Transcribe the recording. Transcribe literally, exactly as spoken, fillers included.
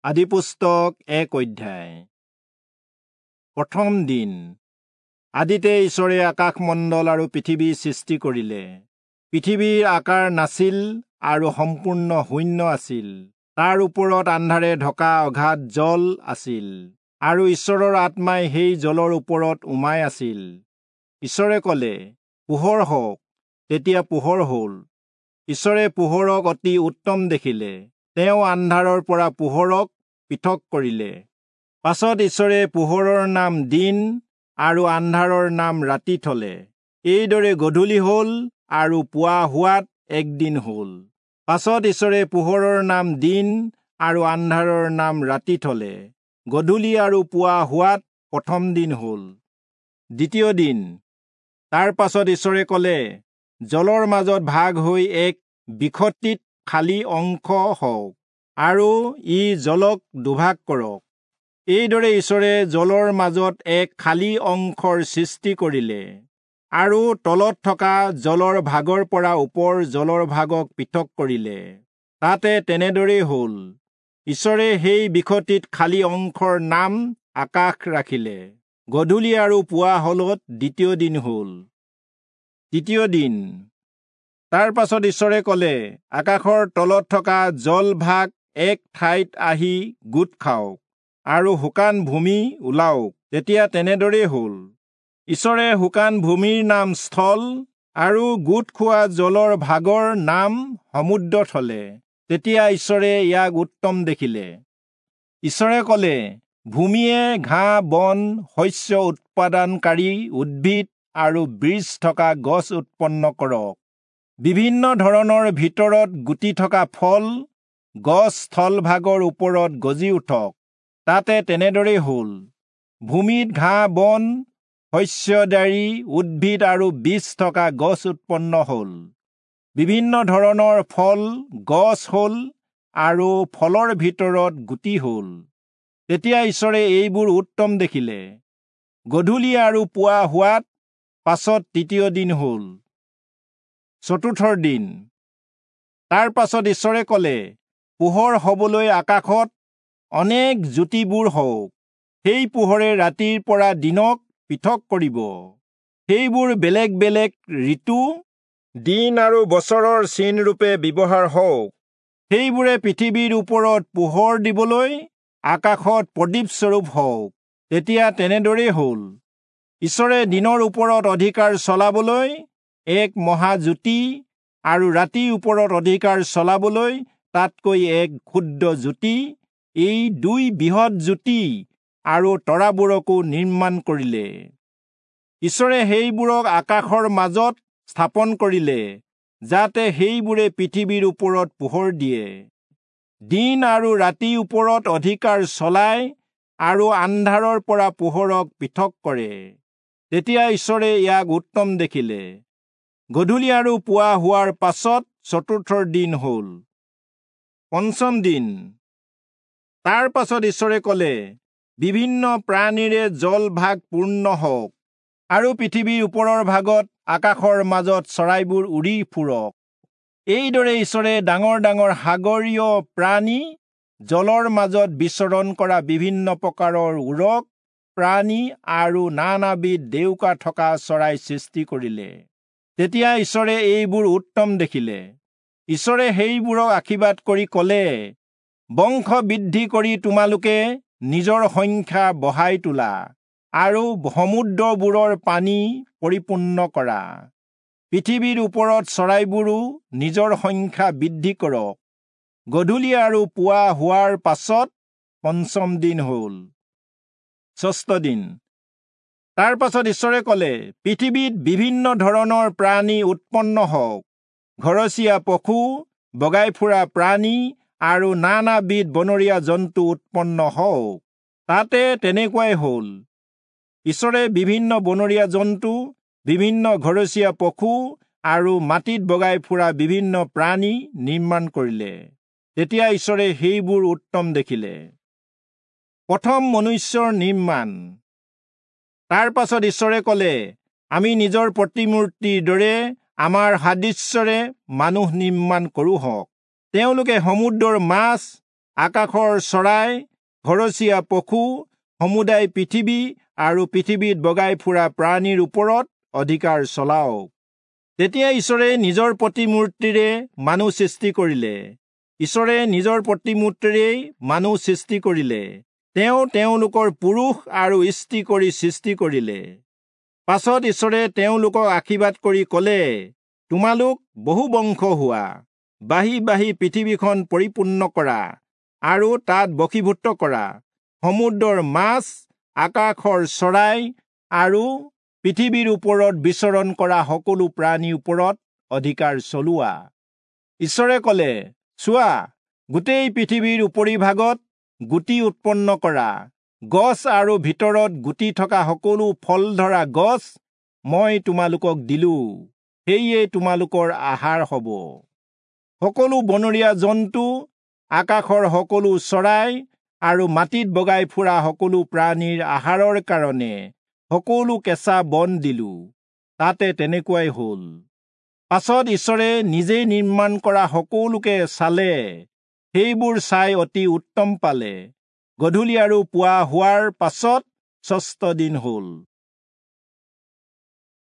আদিপুস্তক এক অধ্যায়। প্ৰথম দিন। আদিতে ঈশ্বৰে আকাশমণ্ডল আৰু পৃথিৱী সৃষ্টি কৰিলে। পৃথিৱীৰ আকাৰ নাছিল আৰু সম্পূৰ্ণ শূন্য আছিল। তাৰ ওপৰত আন্ধাৰে ঢকা অগাধ জল আছিল আৰু ঈশ্বৰৰ আত্মাই সেই জলৰ ওপৰত উমাই আছিল। ঈশ্বৰে ক'লে, পোহৰ হওক। তেতিয়া পোহৰ হ'ল। ঈশ্বৰে পোহৰক অতি উত্তম দেখিলে। তেওঁ আন্ধাৰৰ পৰা পোহৰক পৃথক কৰিলে। পাছত ঈশ্বৰে পোহৰৰ নাম দিন আৰু আন্ধাৰৰ নাম ৰাতি থলে। এইদৰে গধূলি হ'ল আৰু পুৱা হোৱাত একদিন হ'ল। পাছত ঈশ্বৰে পোহৰৰ নাম দিন আৰু আন্ধাৰৰ নাম ৰাতি থলে। গধূলি আৰু পুৱা হোৱাত প্ৰথম দিন হ'ল। দ্বিতীয় দিন। তাৰ পাছত ঈশ্বৰে ক'লে, জলৰ মাজত ভাগ হৈ এক বিসতিত খালী অংশ হওক আৰু ই জলক দুভাগ কৰক। এইদৰে ঈশ্বৰে জলৰ মাজত এক খালী অংশৰ সৃষ্টি কৰিলে আৰু তলত থকা জলৰ ভাগৰ পৰা ওপৰ জলৰ ভাগক পৃথক কৰিলে। তাতে তেনেদৰেই হ'ল। ঈশ্বৰে সেই বিসতিত খালী অংশৰ নাম আকাশ ৰাখিলে। গধূলি আৰু পুৱা হলত দ্বিতীয় দিন হ'ল। তৃতীয় দিন। তাৰ পাছত ঈশ্বৰে ক'লে, আকাশৰ তলত থকা জলভাগ এক ঠাইত আহি গোট খাওক আৰু শুকান ভূমি ওলাওক। তেতিয়া তেনেদৰেই হ'ল। ঈশ্বৰে শুকান ভূমিৰ নাম স্থল আৰু গোট খোৱা জলৰ ভাগৰ নাম সমুদ্ৰ থলে। তেতিয়া ঈশ্বৰে ইয়াক উত্তম দেখিলে। ঈশ্বৰে ক'লে, ভূমিয়ে ঘাঁহ বন শস্য উৎপাদনকাৰী উদ্ভিদ আৰু বীজ থকা গছ উৎপন্ন কৰক। বিভিন্ন ধৰণৰ ভিতৰত গুটি থকা ফল গছ স্থলভাগৰ ওপৰত গজি উঠক। তাতে তেনেদৰেই হ'ল। ভূমিত ঘাঁহ বন শস্যদাৰী উদ্ভিদ আৰু বীজ থকা গছ উৎপন্ন হ'ল। বিভিন্ন ধৰণৰ ফল গছ হ'ল আৰু ফলৰ ভিতৰত গুটি হ'ল। তেতিয়া ঈশ্বৰে এইবোৰ উত্তম দেখিলে। গধূলি আৰু পুৱা হোৱাত পাছত তৃতীয় দিন হ'ল। চতুৰ্থৰ দিন। তাৰ পাছত ঈশ্বৰে ক'লে, পোহৰ হবলৈ আকাশত অনেক জ্যোতিবোৰ হওক। সেই পোহৰে ৰাতিৰ পৰা দিনক পৃথক কৰিব। সেইবোৰ বেলেগ বেলেগ ঋতু, দিন আৰু বছৰৰ চিনৰূপে ব্যৱহাৰ হওক। সেইবোৰে পৃথিৱীৰ ওপৰত পোহৰ দিবলৈ আকাশত প্ৰদীপস্বৰূপ হওক। তেতিয়া তেনেদৰেই হ'ল। ঈশ্বৰে দিনৰ ওপৰত অধিকাৰ চলাবলৈ এক মহাজ্যোতি আৰু ৰাতিৰ ওপৰত অধিকাৰ চলাবলৈ তাতকৈ এক ক্ষুদ্ৰ জ্যোতি, এই দুই বৃহৎ জ্যোতি আৰু তৰাবোৰকো নিৰ্মাণ কৰিলে। ঈশ্বৰে সেইবোৰক আকাশৰ মাজত স্থাপন কৰিলে, যাতে সেইবোৰে পৃথিৱীৰ ওপৰত পোহৰ দিয়ে, দিন আৰু ৰাতিৰ ওপৰত অধিকাৰ চলায় আৰু আন্ধাৰৰ পৰা পোহৰক পৃথক কৰে। তেতিয়া ঈশ্বৰে ইয়াক উত্তম দেখিলে। গধূলি আৰু পুৱা হোৱাৰ পাছত চতুৰ্থৰ দিন হ'ল। পঞ্চম দিন। তাৰ পাছত ঈশ্বৰে ক'লে, বিভিন্ন প্ৰাণীৰে জলভাগ পূৰ্ণ হওক আৰু পৃথিৱীৰ ওপৰৰ ভাগত আকাশৰ মাজত চৰাইবোৰ উৰি ফুৰক। এইদৰে ঈশ্বৰে ডাঙৰ ডাঙৰ সাগৰীয় প্ৰাণী, জলৰ মাজত বিচৰণ কৰা বিভিন্ন প্ৰকাৰৰ উৰক প্ৰাণী আৰু নানাবিধ ডেউকা থকা চৰাই সৃষ্টি কৰিলে। তেতিয়া ঈশ্বৰে এইবোৰ উত্তম দেখিলে। ঈশ্বৰে সেইবোৰক আশীৰ্বাদ কৰি ক'লে, বংশ বৃদ্ধি কৰি তোমালোকে নিজৰ সংখ্যা বঢ়াই তোলা আৰু সমুদ্ৰবোৰৰ পানী পৰিপূৰ্ণ কৰা। পৃথিৱীৰ ওপৰত চৰাইবোৰো নিজৰ সংখ্যা বৃদ্ধি কৰক। গধূলি আৰু পুৱা হোৱাৰ পাছত পঞ্চম দিন হ'ল। ষষ্ঠ দিন। তাৰ পাছত ঈশ্বৰে ক'লে, পৃথিৱীত বিভিন্ন ধৰণৰ প্ৰাণী উৎপন্ন হওক, ঘৰচীয়া পশু, বগাই ফুৰা প্ৰাণী আৰু নানাবিধ বনৰীয়া জন্তু উৎপন্ন হওক। তাতে তেনেকুৱাই হ'ল। ঈশ্বৰে বিভিন্ন বনৰীয়া জন্তু, বিভিন্ন ঘৰচীয়া পশু আৰু মাটিত বগাই ফুৰা বিভিন্ন প্ৰাণী নিৰ্মাণ কৰিলে। তেতিয়া ঈশ্বৰে সেইবোৰ উত্তম দেখিলে। প্ৰথম মনুষ্যৰ নিৰ্মাণ। তাৰ পাছত ঈশ্বৰে ক'লে, আমি নিজৰ প্ৰতিমূৰ্তিৰ দৰে আমাৰ সাদৃশ্যৰে মানুহ নিৰ্মাণ কৰোঁ হওক। তেওঁলোকে সমুদ্ৰৰ মাছ, আকাশৰ চৰাই, ঘৰচীয়া পশু, সমুদায় পৃথিৱী আৰু পৃথিৱীত বগাই ফুৰা প্ৰাণীৰ ওপৰত অধিকাৰ চলাওক। তেতিয়া ঈশ্বৰে নিজৰ প্ৰতিমূৰ্তিৰে মানুহ সৃষ্টি কৰিলে। ঈশ্বৰে নিজৰ প্ৰতিমূৰ্তিৰেই মানুহ সৃষ্টি কৰিলে। তেওঁ তেওঁলোকৰ পুৰুষ আৰু স্ত্ৰী কৰি সৃষ্টি কৰিলে। পাছত ঈশ্বৰে তেওঁলোকক আশীৰ্বাদ কৰি ক'লে, তোমালোক বহু বংশ হোৱা, বাঢ়ি বাঢ়ি পৃথিৱীখন পৰিপূৰ্ণ কৰা আৰু তাত বশীভূত কৰা। সমুদ্ৰৰ মাছ, আকাশৰ চৰাই আৰু পৃথিৱীৰ ওপৰত বিচৰণ কৰা সকলো প্ৰাণীৰ ওপৰত অধিকাৰ চলোৱা। ঈশ্বৰে ক'লে, চোৱা, গোটেই পৃথিৱীৰ উপৰিভাগত গুটি উৎপন্ন কৰা গছ আৰু ভিতৰত গুটি থকা সকলো ফল ধৰা গছ মই তোমালোকক দিলো, সেয়ে তোমালোকৰ আহাৰ হ'ব। সকলো বনৰীয়া জন্তু, আকাশৰ সকলো চৰাই আৰু মাটিত বগাই ফুৰা সকলো প্ৰাণীৰ আহাৰৰ কাৰণে সকলো কেঁচা বন দিলো। তাতে তেনেকুৱাই হ'ল। পাছত ঈশ্বৰে নিজেই নিৰ্মাণ কৰা সকলোকে চালে, সেইবোৰ চাই অতি উত্তম পালে। গধূলি আৰু পুৱা হোৱাৰ পাছত ষষ্ঠ দিন হ'ল।